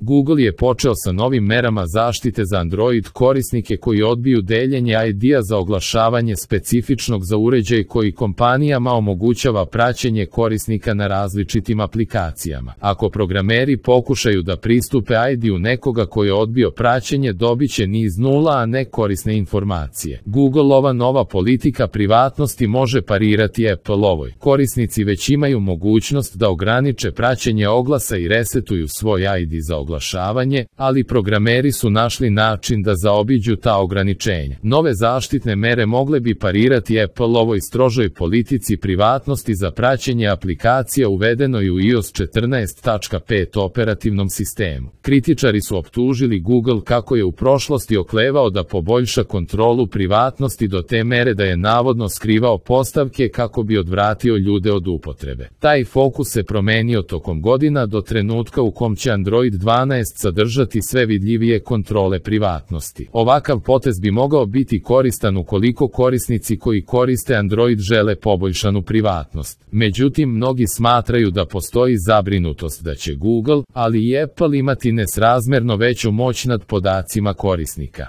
Google je počeo sa novim merama zaštite za Android korisnike koji odbiju deljenje ID-a za oglašavanje specifičnog za uređaj koji kompanijama omogućava praćenje korisnika na različitim aplikacijama. Ako programeri pokušaju da pristupe ID-u nekoga koji je odbio praćenje, dobiće niz nula, a ne korisne informacije. Googleova nova politika privatnosti može parirati Appleovoj. Korisnici već imaju mogućnost da ograniče praćenje oglasa i resetuju svoj ID za oglašavanje, ali programeri su našli način da zaobiđu ta ograničenja. Nove zaštitne mere mogle bi parirati Appleovoj strožoj politici privatnosti za praćenje aplikacija uvedenoj u iOS 14.5 operativnom sistemu. Kritičari su optužili Google kako je u prošlosti oklevao da poboljša kontrolu privatnosti do te mere da je navodno skrivao postavke kako bi odvratio ljude od upotrebe. Taj fokus se promenio tokom godina do trenutka u kom će Android 12 sadržati sve vidljivije kontrole privatnosti. Ovakav potez bi mogao biti koristan ukoliko korisnici koji koriste Android žele poboljšanu privatnost. Međutim, mnogi smatraju da postoji zabrinutost da će Google, ali i Apple imati nesrazmerno veću moć nad podacima korisnika.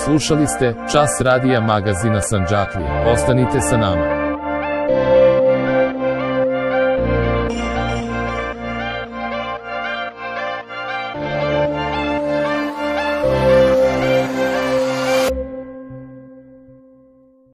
Slušali ste Čas radija magazina Sandžaklija. Ostanite sa nama.